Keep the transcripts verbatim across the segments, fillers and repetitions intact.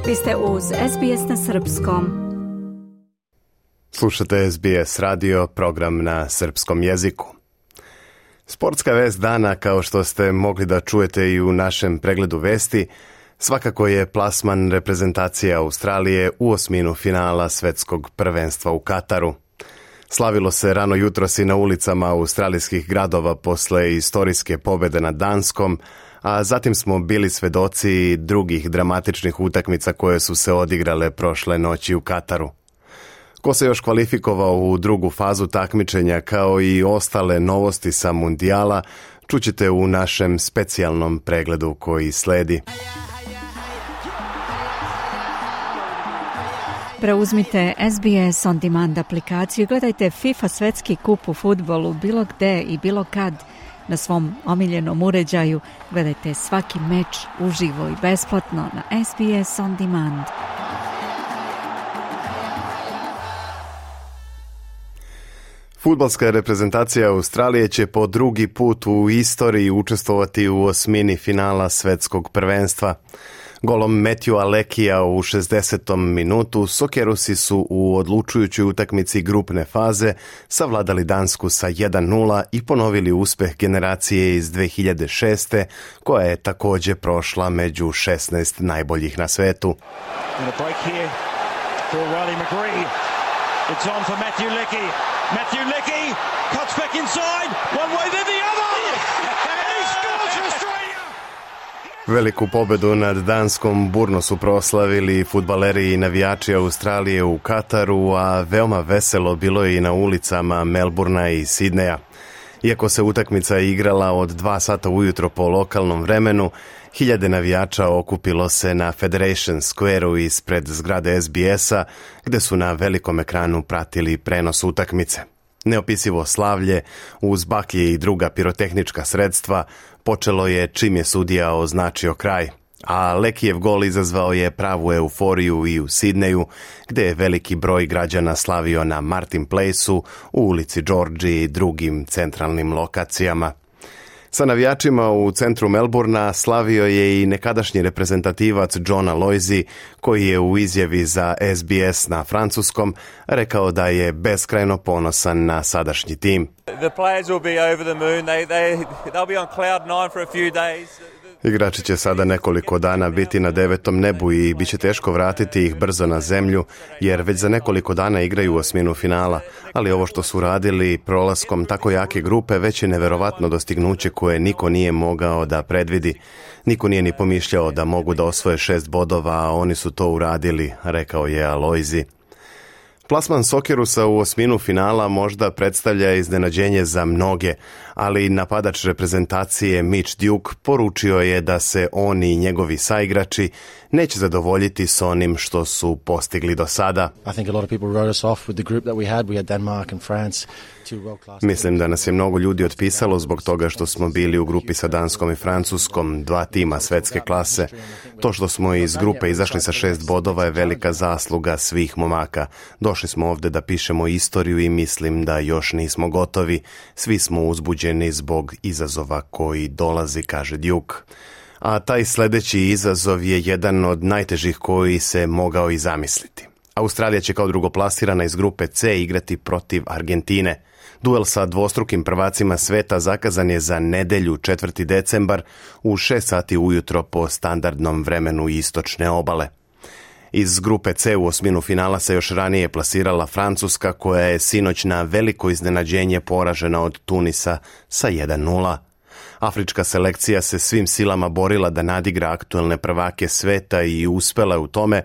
Vi ste uz S B S na srpskom. Slušate S B S radio, program na srpskom jeziku. Sportska vest dana, kao što ste mogli da čujete i u našem pregledu vesti, svakako je plasman reprezentacije Australije u osminu finala svetskog prvenstva u Kataru. Slavilo se rano jutros i na ulicama australijskih gradova posle istorijske pobede nad Danskom, a zatim smo bili svedoci drugih dramatičnih utakmica koje su se odigrale prošle noći u Kataru. Ko se još kvalifikovao u drugu fazu takmičenja, kao i ostale novosti sa mundijala, čućete u našem specijalnom pregledu koji sledi. Preuzmite S B S On Demand aplikaciju i gledajte FIFA svetski kup u fudbalu bilo gde i bilo kad na svom omiljenom uređaju. Gledajte svaki meč uživo i besplatno na S B S On Demand. Fudbalska reprezentacija Australije će po drugi put u istoriji učestvovati u osmini finala svetskog prvenstva. Golom Matthewa Leckia u šezdesetom minutu Sokerusi su u odlučujućoj utakmici grupne faze savladali Dansku sa jedan nula i ponovili uspeh generacije iz dve hiljade šeste. koja je također prošla među šesnaest najboljih na svetu. It's on for Matthew Leckie. Matthew Leckie cuts back inside. One way, then the other. And he scores for Australia. Veliku pobedu nad Danskom burno su proslavili fudbaleri i navijači Australije u Kataru, a veoma veselo bilo je i na ulicama Melburna i Sidneja. Iako se utakmica igrala od dva sata ujutro po lokalnom vremenu, hiljade navijača okupilo se na Federation Square-u ispred zgrade S B S-a, gde su na velikom ekranu pratili prenos utakmice. Neopisivo slavlje, uz baklje i druga pirotehnička sredstva, počelo je čim je sudija označio kraj. A Leckijev gol izazvao je pravu euforiju i u Sidneju, gde je veliki broj građana slavio na Martin Place-u, u ulici Georgiji i drugim centralnim lokacijama. Sa navijačima u centru Melburna slavio je i nekadašnji reprezentativac John Aloisi, koji je u izjavi za S B S na francuskom rekao da je beskrajno ponosan na sadašnji tim. The players will be over the moon. They they they'll be on cloud nine for a few days. Igrači će sada nekoliko dana biti na devetom nebu i bit će teško vratiti ih brzo na zemlju, jer već za nekoliko dana igraju osminu finala, ali ovo što su radili prolaskom tako jake grupe već je neverovatno dostignuće koje niko nije mogao da predvidi. Niko nije ni pomišljao da mogu da osvoje šest bodova, a oni su to uradili, rekao je Aloisi. Plasman Sokerusa u osminu finala možda predstavlja iznenađenje za mnoge, ali napadač reprezentacije Mitch Duke poručio je da se on i njegovi saigrači neće zadovoljiti s onim što su postigli do sada. Mislim da nas je mnogo ljudi otpisalo zbog toga što smo bili u grupi sa Danskom i Francuskom, dva tima svetske klase. To što smo iz grupe izašli sa šest bodova je velika zasluga svih momaka. Došli smo ovde da pišemo istoriju i mislim da još nismo gotovi. Svi smo uzbuđeni zbog izazova koji dolazi, kaže Duke. A taj sledeći izazov je jedan od najtežih koji se mogao i zamisliti. Australija će kao drugoplasirana iz grupe C igrati protiv Argentine. Duel sa dvostrukim prvacima sveta zakazan je za nedelju četvrti decembar u šest sati ujutro po standardnom vremenu istočne obale. Iz grupe C u osminu finala se još ranije plasirala Francuska, koja je sinoć na veliko iznenađenje poražena od Tunisa sa jedan nula. Afrička selekcija se svim silama borila da nadigra aktuelne prvake sveta i uspela je u tome,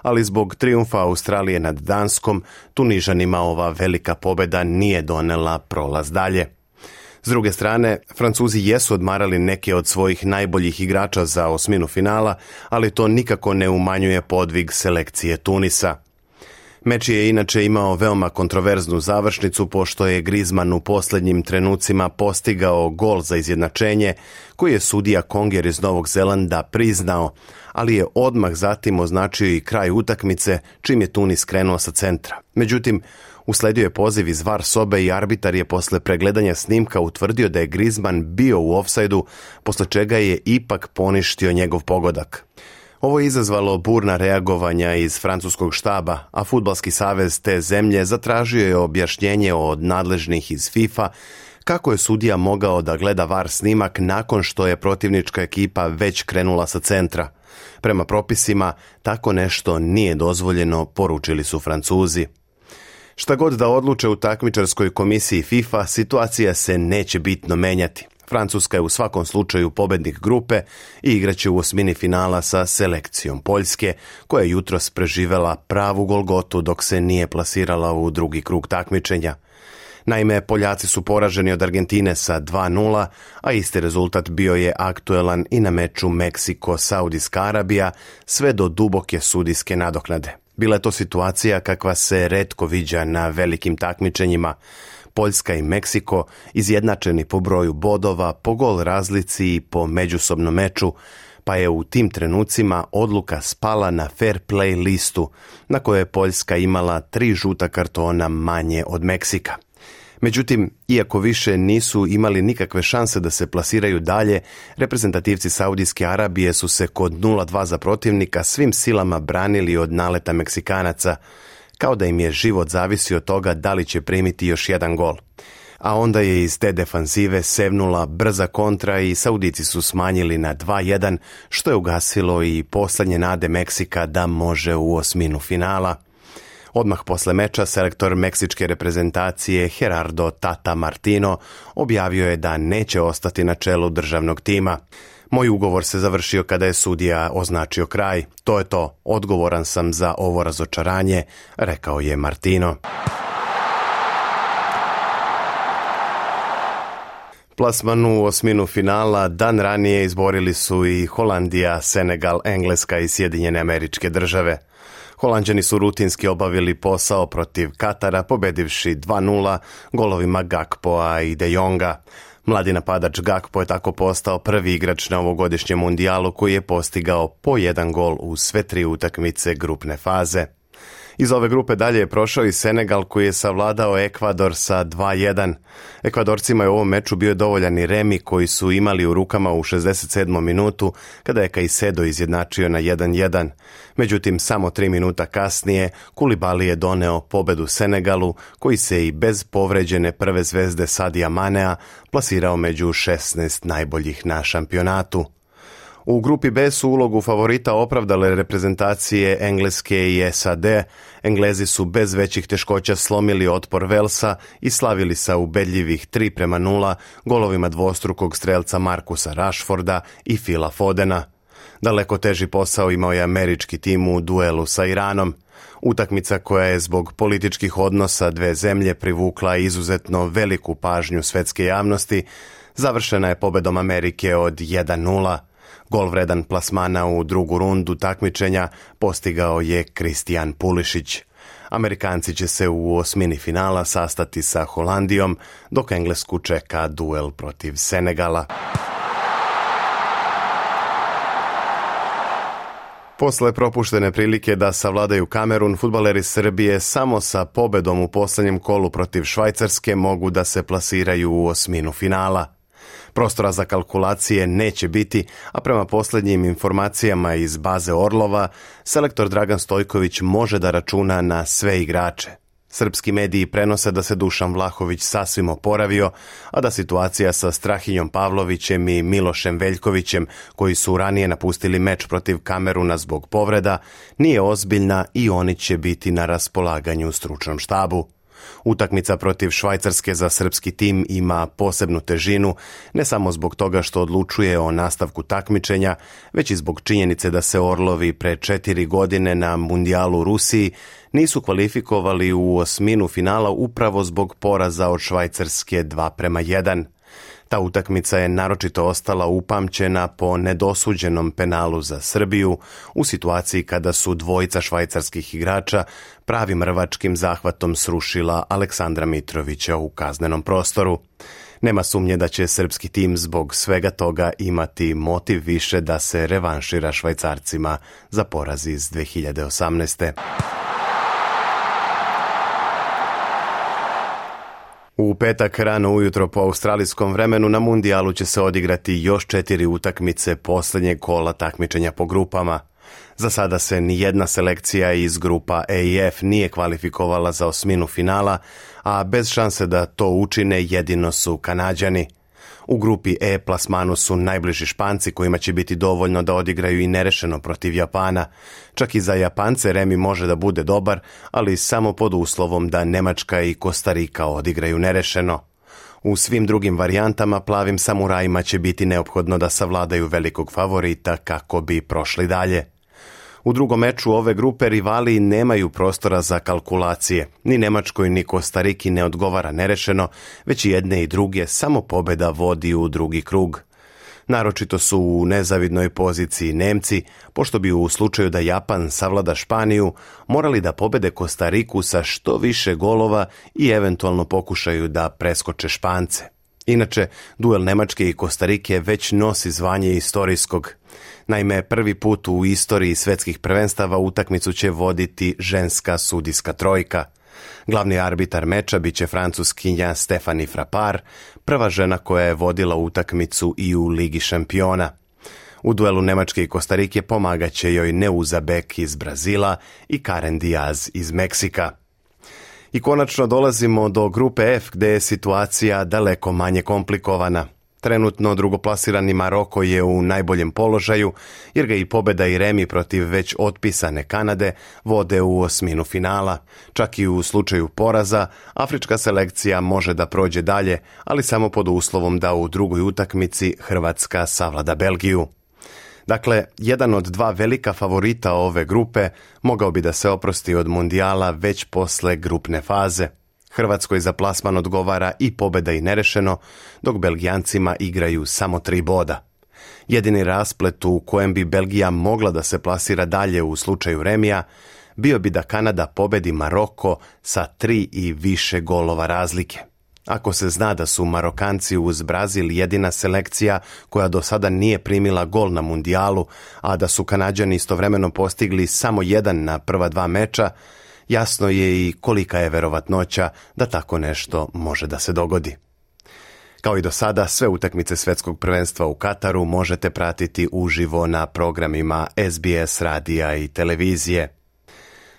ali zbog trijumfa Australije nad Danskom, Tunižanima ova velika pobeda nije donela prolaz dalje. S druge strane, Francuzi jesu odmarali neke od svojih najboljih igrača za osminu finala, ali to nikako ne umanjuje podvig selekcije Tunisa. Meč je inače imao veoma kontroverznu završnicu, pošto je Griezmann u posljednjim trenucima postigao gol za izjednačenje, koji je sudija Conger iz Novog Zelanda priznao, ali je odmah zatim označio i kraj utakmice, čim je Tunis krenuo sa centra. Međutim, usledio je poziv iz V A R sobe i arbitar je posle pregledanja snimka utvrdio da je Griezmann bio u ofsajdu, posle čega je ipak poništio njegov pogodak. Ovo je izazvalo burna reagovanja iz francuskog štaba, a Fudbalski savez te zemlje zatražio je objašnjenje od nadležnih iz FIFA kako je sudija mogao da gleda V A R snimak nakon što je protivnička ekipa već krenula sa centra. Prema propisima, tako nešto nije dozvoljeno, poručili su Francuzi. Šta god da odluče u takmičarskoj komisiji FIFA, situacija se neće bitno menjati. Francuska je u svakom slučaju pobednik grupe i igraće u osmini finala sa selekcijom Poljske, koja je jutros preživela pravu golgotu dok se nije plasirala u drugi krug takmičenja. Naime, Poljaci su poraženi od Argentine sa dva nula, a isti rezultat bio je aktuelan i na meču Meksiko-Saudijska Arabija, sve do duboke sudijske nadoknade. Bila je to situacija kakva se retko viđa na velikim takmičenjima. Poljska i Meksiko izjednačeni po broju bodova, po gol razlici i po međusobnom meču, pa je u tim trenucima odluka spala na fair play listu, na kojoj je Poljska imala tri žuta kartona manje od Meksika. Međutim, iako više nisu imali nikakve šanse da se plasiraju dalje, reprezentativci Saudijske Arabije su se kod nula dva za protivnika svim silama branili od naleta Meksikanaca, kao da im je život zavisio od toga da li će primiti još jedan gol. A onda je iz te defanzive sevnula brza kontra i Saudici su smanjili na dva jedan, što je ugasilo i poslednje nade Meksika da može u osminu finala. Odmah posle meča selektor meksičke reprezentacije Gerardo Tata Martino objavio je da neće ostati na čelu državnog tima. Moj ugovor se završio kada je sudija označio kraj. To je to, odgovoran sam za ovo razočaranje, rekao je Martino. Plasman u osminu finala dan ranije izborili su i Holandija, Senegal, Engleska i Sjedinjene Američke Države. Holanđani su rutinski obavili posao protiv Katara, pobedivši dva nula golovima Gakpoa i De Jonga. Mladi napadač Gakpo je tako postao prvi igrač na ovogodišnjem mundijalu koji je postigao po jedan gol u sve tri utakmice grupne faze. Iz ove grupe dalje je prošao i Senegal koji je savladao Ekvador sa dva jedan. Ekvadorcima je u ovom meču bio dovoljan i remi koji su imali u rukama u šezdeset sedmom minutu kada je Caicedo izjednačio na jedan jedan. Međutim, samo tri minuta kasnije Koulibaly je doneo pobedu Senegalu koji se i bez povređene prve zvezde Sadija Manea plasirao među šesnaest najboljih na šampionatu. U grupi B su ulogu favorita opravdale reprezentacije Engleske i S A D. Englezi su bez većih teškoća slomili otpor Velsa i slavili sa ubedljivih tri prema nula golovima dvostrukog strelca Marcusa Rashforda i Phila Fodena. Daleko teži posao imao je američki tim u duelu sa Iranom. Utakmica koja je zbog političkih odnosa dve zemlje privukla izuzetno veliku pažnju svetske javnosti, završena je pobedom Amerike od jedan nula. Gol vredan plasmana u drugu rundu takmičenja postigao je Kristijan Pulišić. Amerikanci će se u osmini finala sastati sa Holandijom, dok Englesku čeka duel protiv Senegala. Posle propuštene prilike da savladaju Kamerun, fudbaleri Srbije samo sa pobedom u poslednjem kolu protiv Švajcarske mogu da se plasiraju u osminu finala. Prostora za kalkulacije neće biti, a prema posljednjim informacijama iz baze Orlova, selektor Dragan Stojković može da računa na sve igrače. Srpski mediji prenose da se Dušan Vlahović sasvim oporavio, a da situacija sa Strahinjom Pavlovićem i Milošem Veljkovićem, koji su ranije napustili meč protiv Kameruna zbog povreda, nije ozbiljna i oni će biti na raspolaganju stručnom štabu. Utakmica protiv Švajcarske za srpski tim ima posebnu težinu, ne samo zbog toga što odlučuje o nastavku takmičenja, već i zbog činjenice da se Orlovi pre četiri godine na mundijalu u Rusiji nisu kvalifikovali u osminu finala upravo zbog poraza od Švajcarske dva prema jedan. Ta utakmica je naročito ostala upamćena po nedosuđenom penalu za Srbiju u situaciji kada su dvojica švajcarskih igrača pravim rvačkim zahvatom srušila Aleksandra Mitrovića u kaznenom prostoru. Nema sumnje da će srpski tim zbog svega toga imati motiv više da se revanšira Švajcarcima za poraz iz dve hiljade osamnaeste. U petak rano ujutro po australijskom vremenu na mundijalu će se odigrati još četiri utakmice posljednjeg kola takmičenja po grupama. Za sada se ni jedna selekcija iz grupa E i F nije kvalifikovala za osminu finala, a bez šanse da to učine jedino su Kanađani. U grupi E plasmanu su najbliži Španci kojima će biti dovoljno da odigraju i nerešeno protiv Japana. Čak i za Japance remi može da bude dobar, ali samo pod uslovom da Nemačka i Kostarika odigraju nerešeno. U svim drugim varijantama plavim samurajima će biti neophodno da savladaju velikog favorita kako bi prošli dalje. U drugom meču ove grupe rivali nemaju prostora za kalkulacije. Ni Nemačkoj ni Kostariki ne odgovara nerešeno, već i jedne i druge samo pobjeda vodi u drugi krug. Naročito su u nezavidnoj poziciji Nemci, pošto bi u slučaju da Japan savlada Španiju morali da pobede Kostariku sa što više golova i eventualno pokušaju da preskoče Špance. Inače, duel Nemačke i Kostarike već nosi zvanje istorijskog. Naime, prvi put u istoriji svetskih prvenstava utakmicu će voditi ženska sudijska trojka. Glavni arbitar meča biće Francuskinja Stephanie Frappart, prva žena koja je vodila utakmicu i u Ligi šampiona. U duelu Nemačke i Kostarike pomagaće joj Neuza Beck iz Brazila i Karen Diaz iz Meksika. I konačno dolazimo do grupe F gdje je situacija daleko manje komplikovana. Trenutno drugoplasirani Maroko je u najboljem položaju jer ga i pobjeda i remi protiv već otpisane Kanade vode u osminu finala. Čak i u slučaju poraza, afrička selekcija može da prođe dalje, ali samo pod uslovom da u drugoj utakmici Hrvatska savlada Belgiju. Dakle, jedan od dva velika favorita ove grupe mogao bi da se oprosti od mundijala već posle grupne faze. Hrvatskoj za plasman odgovara i pobjeda i nerešeno, dok Belgijancima igraju samo tri boda. Jedini rasplet u kojem bi Belgija mogla da se plasira dalje u slučaju remija bio bi da Kanada pobedi Maroko sa tri i više golova razlike. Ako se zna da su Marokanci uz Brazil jedina selekcija koja do sada nije primila gol na mundijalu, a da su Kanađani istovremeno postigli samo jedan na prva dva meča, jasno je i kolika je verovatnoća da tako nešto može da se dogodi. Kao i do sada, sve utakmice Svetskog prvenstva u Kataru možete pratiti uživo na programima S B S radija i televizije.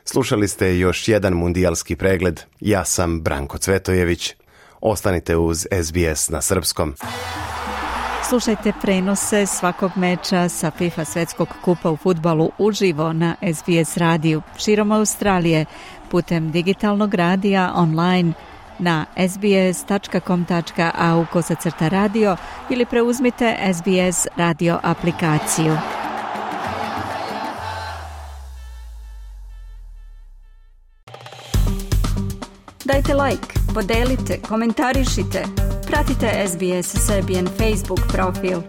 Slušali ste još jedan mundijalski pregled. Ja sam Branko Cvetojević. Ostanite uz S B S na srpskom. Slušajte prenose svakog meča sa FIFA Svetskog kupa u fudbalu uživo na S B S radiju širom Australije putem digitalnog radija online na sbs.com.au kosacrta radio ili preuzmite S B S radio aplikaciju. Dajte like, podelite, komentarišite. Pratite S B S Serbian Facebook profil.